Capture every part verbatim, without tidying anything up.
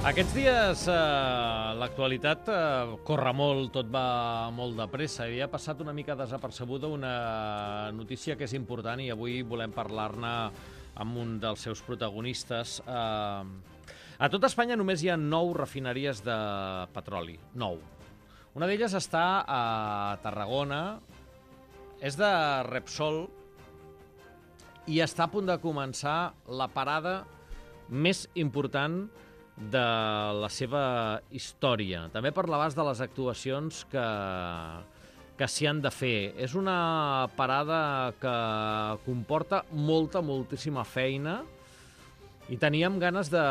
Aquests dies eh, l'actualitat eh, corre molt, tot va molt de pressa. Havia passat una mica desapercebuda una notícia que és important i avui volem parlar-ne amb un dels seus protagonistes. Eh, a tot Espanya només hi ha nou refineries de petroli, nou. Una d'elles està a Tarragona, és de Repsol i està a punt de començar la parada més important de la seva història. També per l'abast de les actuacions que, que s'hi han de fer. És una parada que comporta molta, moltíssima feina i teníem ganes de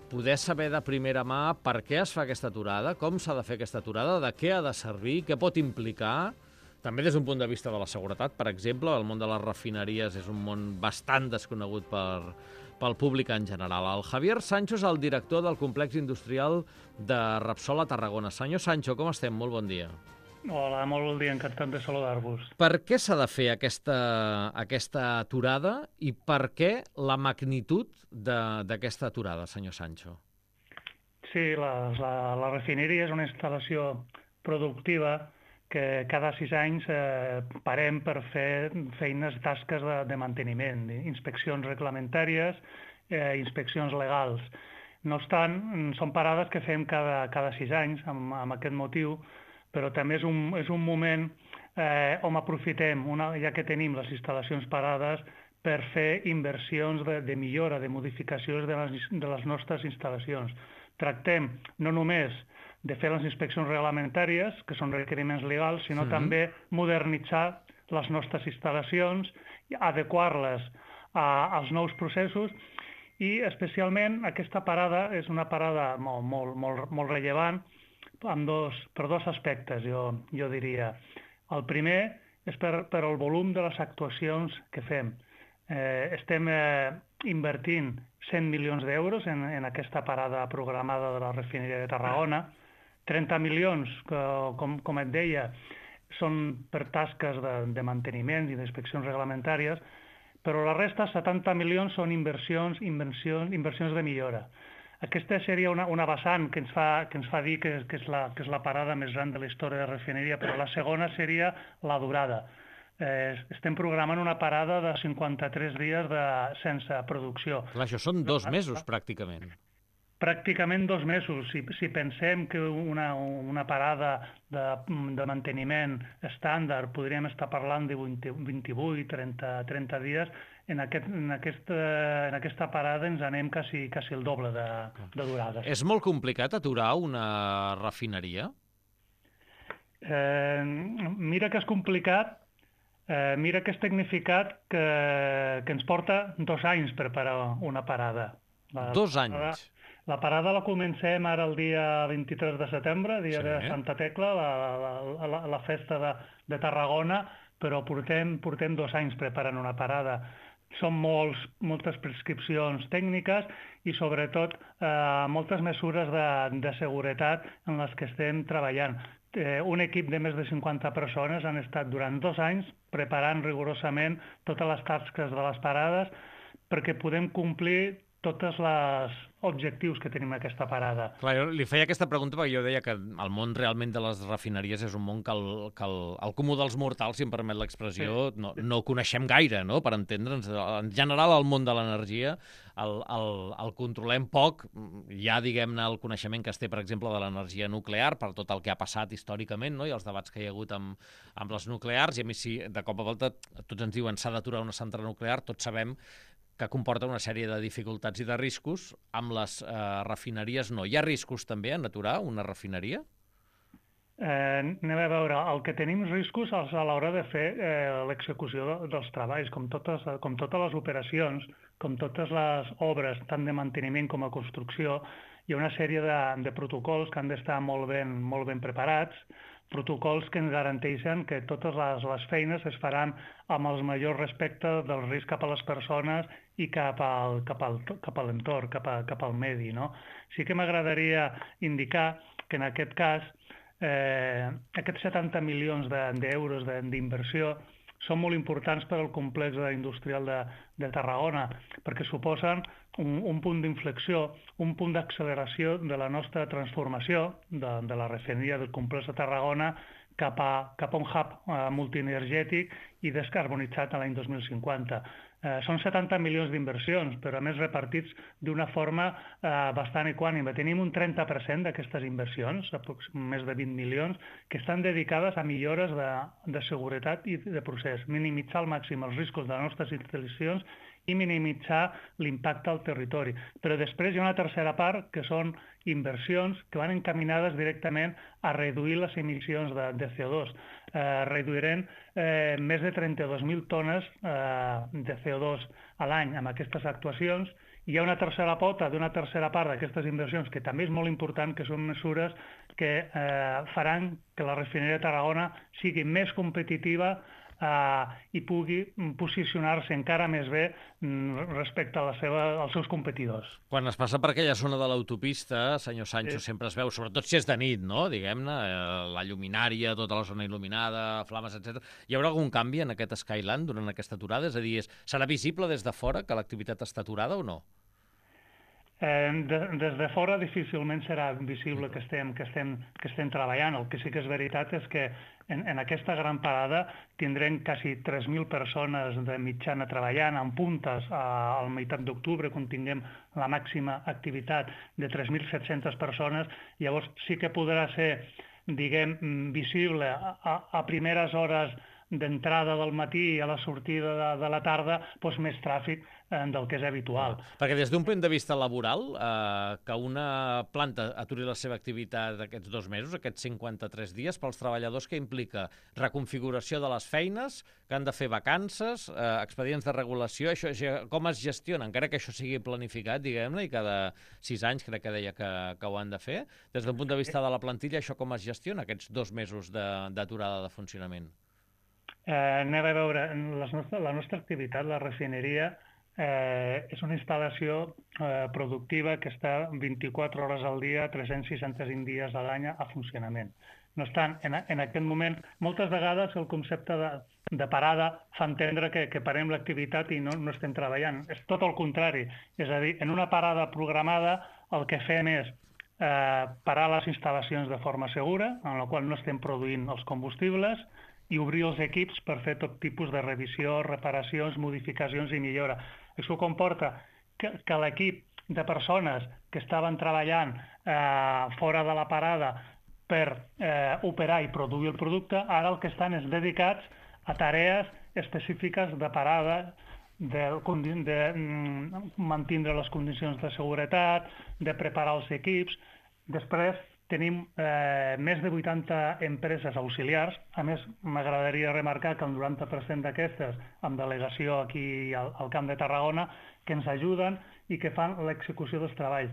poder saber de primera mà per què es fa aquesta aturada, com s'ha de fer aquesta aturada, de què ha de servir, què pot implicar. També des d'un punt de vista de la seguretat, per exemple, el món de les refineries és un món bastant desconegut per, pel públic en general. El Javier Sancho és el director del complex industrial de Repsol a Tarragona. Senyor Sancho, com estem? Molt bon dia. Hola, molt bon dia, encantat de saludar-vos. Per què s'ha de fer aquesta, aquesta aturada i per què la magnitud d'aquesta aturada, senyor Sancho? Sí, la, la, la refineria és una instal·lació productiva que cada sis anys eh, parem per fer feines, tasques de, de manteniment, inspeccions reglamentàries, eh, inspeccions legals. No obstant, són parades que fem cada, cada sis anys amb, amb aquest motiu, però també és un, és un moment eh, on aprofitem, una, ja que tenim les instal·lacions parades, per fer inversions de, de millora, de modificacions de les, de les nostres instal·lacions. Tractem no només de fer les inspeccions reglamentàries, que són requeriments legals, sinó mm-hmm. també modernitzar les nostres instal·lacions, adequar-les als nous processos i especialment aquesta parada és una parada molt, molt, molt, molt rellevant amb dos, per dos aspectes, jo, jo diria. El primer és per, per el volum de les actuacions que fem. Eh, estem eh, invertint cent milions d'euros en, en aquesta parada programada de la refineria de Tarragona. trenta milions, que, com, com et deia, són per tasques de, de manteniment i d'inspeccions reglamentàries, però la resta, setanta milions, són inversions, inversions, inversions de millora. Aquesta seria una, una vessant que ens fa, que ens fa dir que, que, és la, que és la parada més gran de la història de refineria, però la segona seria la durada. Eh, estem programant una parada de cinquanta-tres dies de, sense producció. Clar, això són dos mesos, pràcticament. Pràcticament dos mesos. Si, si pensem que una, una parada de, de manteniment estàndard podríem estar parlant de vint-i-vuit, trenta, trenta dies, en, aquest, en, aquesta, en aquesta parada ens anem quasi, quasi el doble de, de durada. És molt complicat aturar una refineria? Eh, mira que és complicat, eh, mira que és tecnificat que, que ens porta dos anys preparar una parada. La, dos la anys? parada, La parada la comencem ara el dia vint-i-tres de setembre, dia sí. de Santa Tecla, la, la, la, la festa de, de Tarragona, però portem, portem dos anys preparant una parada. Són molts, moltes prescripcions tècniques i, sobretot, eh, moltes mesures de, de seguretat en les que estem treballant. Eh, un equip de més de cinquanta persones han estat durant dos anys preparant rigorosament totes les tasques de les parades perquè podem complir tots els objectius que tenim en aquesta parada. Clar, jo li feia aquesta pregunta perquè jo deia que el món realment de les refineries és un món que el, que el, el comú dels mortals, si em permet l'expressió, sí. no, no coneixem gaire, no?, per entendre'ns. En general, el món de l'energia el, el, el controlem poc. Hi ha, diguem-ne, el coneixement que es té, per exemple, de l'energia nuclear, per tot el que ha passat històricament, no?, i els debats que hi ha hagut amb, amb les nuclears, i a mi si de cop a volta tots ens diuen s'ha d'aturar una central nuclear, tots sabem que comporta una sèrie de dificultats i de riscos. Amb les eh, refineries no. Hi ha riscos també en aturar una refineria? Eh, anem a veure, el que tenim riscos és a l'hora de fer eh, l'execució de, dels treballs, com totes, com totes les operacions, com totes les obres, tant de manteniment com a construcció. Hi ha una sèrie de, de protocols que han d'estar molt ben, molt ben preparats, protocols que ens garanteixen que totes les, les feines es faran amb el major respecte del risc cap a les persones i cap al, cap al, cap a l'entorn, cap, a, cap al medi, no? Sí que m'agradaria indicar que en aquest cas eh, aquests setanta milions d'euros de, d'inversió són molt importants per al complex industrial de, de Tarragona, perquè suposen un, un punt d'inflexió, un punt d'acceleració de la nostra transformació de, de la refineria del complex de Tarragona cap a, cap a un hub eh, multienergètic i descarbonitzat a l'any dos mil cinquanta. Eh, són setanta milions d'inversions, però a més repartits d'una forma eh, bastant equànime. Tenim un trenta per cent d'aquestes inversions, més de vint milions, que estan dedicades a millores de, de seguretat i de procés, minimitzar al màxim els riscos de les nostres instal·lacions i minimitzar l'impacte al territori. Però després hi ha una tercera part, que són inversions que van encaminades directament a reduir les emissions de, de C O dos. Eh, reduirem eh, més de trenta-dos mil tones eh, de C O dos a l'any amb aquestes actuacions. Hi ha una tercera pota d'una tercera part d'aquestes inversions que també és molt important, que són mesures que eh, faran que la refineria de Tarragona sigui més competitiva Uh, i pugui posicionar-se encara més bé mm, respecte a la seva, als seus competidors. Quan es passa per aquella zona de l'autopista, senyor Sancho, sí, sempre es veu, sobretot si és de nit, no? Diguem-ne, la lluminària, tota la zona il·luminada, flames, etcètera. Hi haurà algun canvi en aquest Skyland durant aquesta aturada? És a dir, és, serà visible des de fora que l'activitat està aturada o no? Eh, de, des de fora difícilment serà visible que estem, que, estem, que estem treballant. El que sí que és veritat és que en, en aquesta gran parada tindrem quasi tres mil persones de mitjana treballant, en puntes a, a la meitat d'octubre, quan tinguem la màxima activitat de tres mil set-centes persones. Llavors sí que podrà ser, diguem, visible a, a primeres hores d'entrada del matí i a la sortida de, de la tarda, doncs més tràfic eh, del que és habitual. Perquè des d'un punt de vista laboral, eh, que una planta aturi la seva activitat aquests dos mesos, aquests cinquanta-tres dies, pels treballadors, que implica reconfiguració de les feines, que han de fer vacances, eh, expedients de regulació, això com es gestiona, encara que això sigui planificat, diguem-ne, i cada sis anys crec que deia que, que ho han de fer. Des d'un punt de vista de la plantilla, això com es gestiona, aquests dos mesos d'aturada de, de funcionament? Eh, anem a veure, les nostres, la nostra activitat, la refineria, eh, és una instal·lació eh, productiva que està vint-i-quatre hores al dia, tres-cents seixanta-cinc dies a l'any a funcionament. No obstant, en, en aquest moment, moltes vegades el concepte de, de parada fa entendre que, que parem l'activitat i no, no estem treballant. És tot el contrari. És a dir, en una parada programada el que fem és eh, parar les instal·lacions de forma segura, en la qual no estem produint els combustibles, i obrir els equips per fer tot tipus de revisió, reparacions, modificacions i millora. Això comporta que, que l'equip de persones que estaven treballant eh, fora de la parada per eh, operar i produir el producte, ara el que estan és dedicats a tarees específiques de parada, de, de, de mantindre les condicions de seguretat, de preparar els equips. Després tenim eh, més de vuitanta empreses auxiliars. A més, m'agradaria remarcar que el noranta per cent d'aquestes, amb delegació aquí al, al Camp de Tarragona, que ens ajuden i que fan l'execució dels treballs.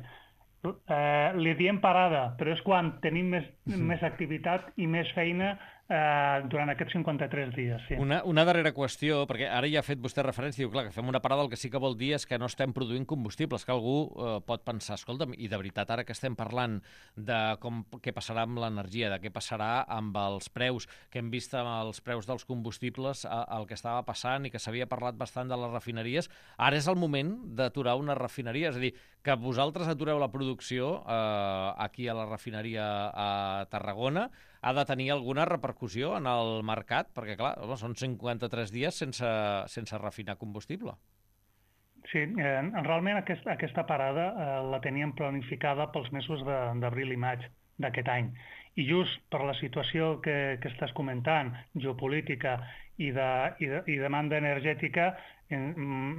Eh, li diem parada, però és quan tenim més, uh-huh. més activitat i més feina eh, durant aquests cinquanta-tres dies. Sí. Una, una darrera qüestió, perquè ara ja ha fet vostè referència, diu, clar, que fem una parada, el que sí que vol dir és que no estem produint combustibles, que algú eh, pot pensar, escolta'm, i de veritat ara que estem parlant de com, què passarà amb l'energia, de què passarà amb els preus, que hem vist amb els preus dels combustibles a, el que estava passant i que s'havia parlat bastant de les refineries, ara és el moment d'aturar una refineria, és a dir, que vosaltres atureu la producció eh, aquí a la refineria a Tarragona, ha de tenir alguna repercussió en el mercat? Perquè, clar, home, són cinquanta-tres dies sense, sense refinar combustible. Sí, eh, realment aquest, aquesta parada eh, la teníem planificada pels mesos d'abril i maig d'aquest any. I just per la situació que, que estàs comentant, geopolítica i, de, i, de, i demanda energètica, en,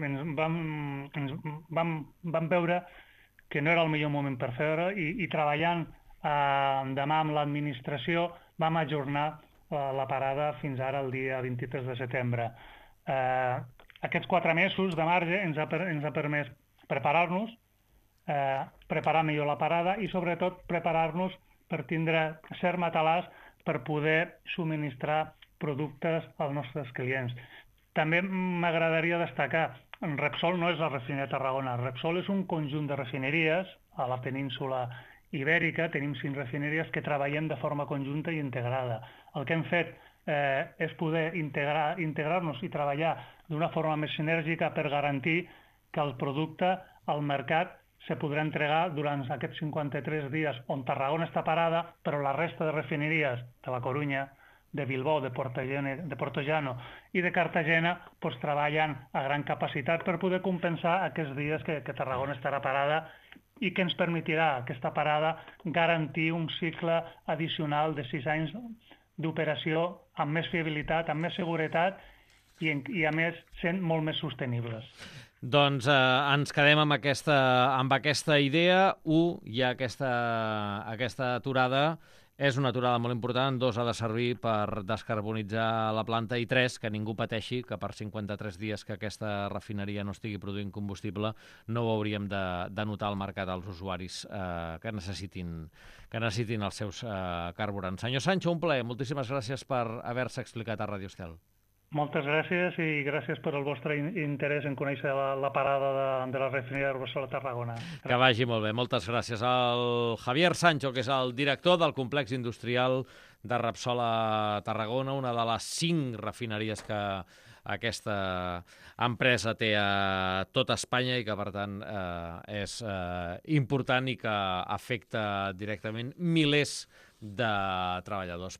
ens, vam, ens vam, vam veure que no era el millor moment per fer-ho i, i treballant eh, demà amb l'administració vam ajornar eh, la parada fins ara el dia vint-i-tres de setembre. Eh, aquests quatre mesos de marge ens ha, ens ha permès preparar-nos, eh, preparar millor la parada i sobretot preparar-nos per tindre cert matalàs per poder subministrar productes als nostres clients. També m'agradaria destacar, Repsol no és la refineria de Tarragona, Repsol és un conjunt de refineries a la península ibèrica, tenim cinc refineries que treballem de forma conjunta i integrada. El que hem fet eh, és poder integrar, integrar-nos i treballar d'una forma més sinèrgica per garantir que el producte al mercat se podrà entregar durant aquests cinquanta-tres dies on Tarragona està parada, però la resta de refineries de la Corunya, de Bilbao, de Portollano, de Portollano i de Cartagena pues, treballen a gran capacitat per poder compensar aquests dies que, que Tarragona estarà parada i que ens permetirà aquesta parada garantir un cicle addicional de sis anys d'operació amb més fiabilitat, amb més seguretat i, i a més sent molt més sostenibles. Doncs eh, ens quedem amb aquesta, amb aquesta idea. Un, hi ha aquesta, aquesta aturada. És una aturada molt important, dos, ha de servir per descarbonitzar la planta, i tres, que ningú pateixi que per cinquanta-tres dies que aquesta refineria no estigui produint combustible no ho hauríem de, de notar al mercat als usuaris eh, que necessitin, que necessitin els seus eh, carburants. Senyor Sancho, un plaer. Moltíssimes gràcies per haver-se explicat a Radio Estel. Moltes gràcies i gràcies per el vostre interès en conèixer la, la parada de, de la refineria de Repsol a Tarragona. Gràcies. Que vagi molt bé. Moltes gràcies al Javier Sancho, que és el director del complex industrial de Repsol a Tarragona, una de les cinc refineries que aquesta empresa té a tot Espanya i que, per tant, eh, és eh, important i que afecta directament milers de treballadors.